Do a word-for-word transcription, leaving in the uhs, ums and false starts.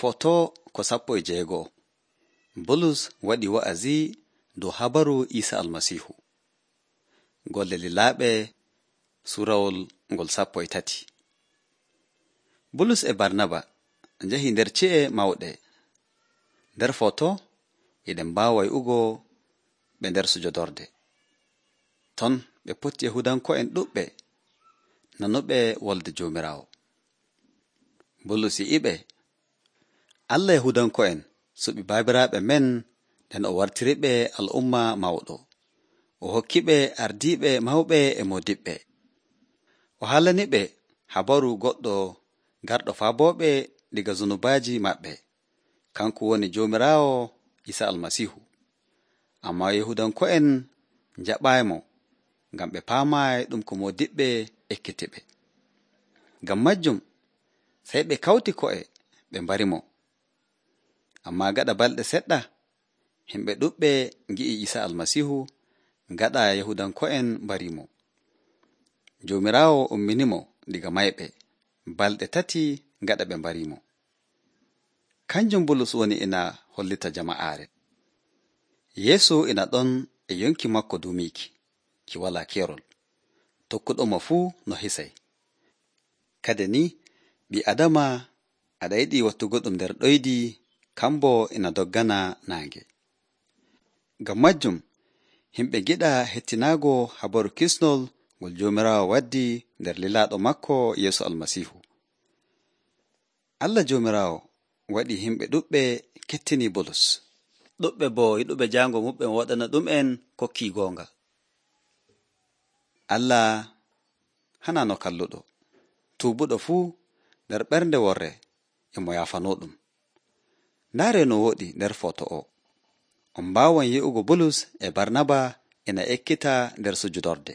Foto ko sappo e jeego'o. Bulus waɗi wa'azi dow habaru Iisa Almasiihu. Golle lilaaɓe suurawol ngol sappo e tati. Bulus e Barnaba njahi nder ci'e mawɗe. Nder foto eɗen mbaawa wi'ugo ɓe nder sujodorde. Ton ɓe poti Yahudanko'en ɗuɓɓe nanuɓe wolde Joomiraawo. Bulus yi'iɓe, Allah Yahudanko'en suɓi baabiraaɓe men nden o wartiriɓe al'umma mawɗo. O hokkiɓe ardiiɓe mawɓe e moodiɓɓe. O haalaniɓe habaru goɗɗo garɗo faabooɓe diga zunubaaji maɓɓe. Kanko woni Joomiraawo Iisa Almasiihu. Ammaa Yahudanko'en njaɓaaymo ngam ɓe paamaayi ɗum ko moodiɓɓe ekkitiɓe. Ngam majjum sey ɓe kawti ko'e ɓe mbarimo. Ammaa gaɗa balɗe seɗɗa, himɓe ɗuɓɓe ngi'i Iisa Almasiihu gaɗa Yahudanko'en mbariimo. Joomiraawo umminimo diga mayɓe balɗe tati gaɗa ɓe mbariimo. Kanjum Bulus woni ina hollita jama'aare. Yeesu ina ɗon e yonki makko dumiiki, ki walaa keerol, tokkuɗomo fuu no hisay. Kade ni, ɓii Adama aɗa yiɗi wattugo ɗum nder ɗoydi, kambo ina doggana naange. Ngam majjum, himɓe giɗa hettinaago habaru kisnol ngol Joomiraawo waddi nder lilaaɗo makko Yeesu Almasiihu. Allah Joomiraawo waɗi himɓe ɗuɓɓe kettini Bulus. Ɗuɓɓe boo yiɗuɓe jaango muɓɓe mo waɗana ɗum'en kokkii goonga. Allah hana no kalluɗo. Tuubuɗo fuu nder ɓernde worre e mo yaafanoo ɗum. Ndaare no woɗi nder foto o. On mbaawan yi'ugo Bulus e Barnaba ina ekkita nder sujudorde.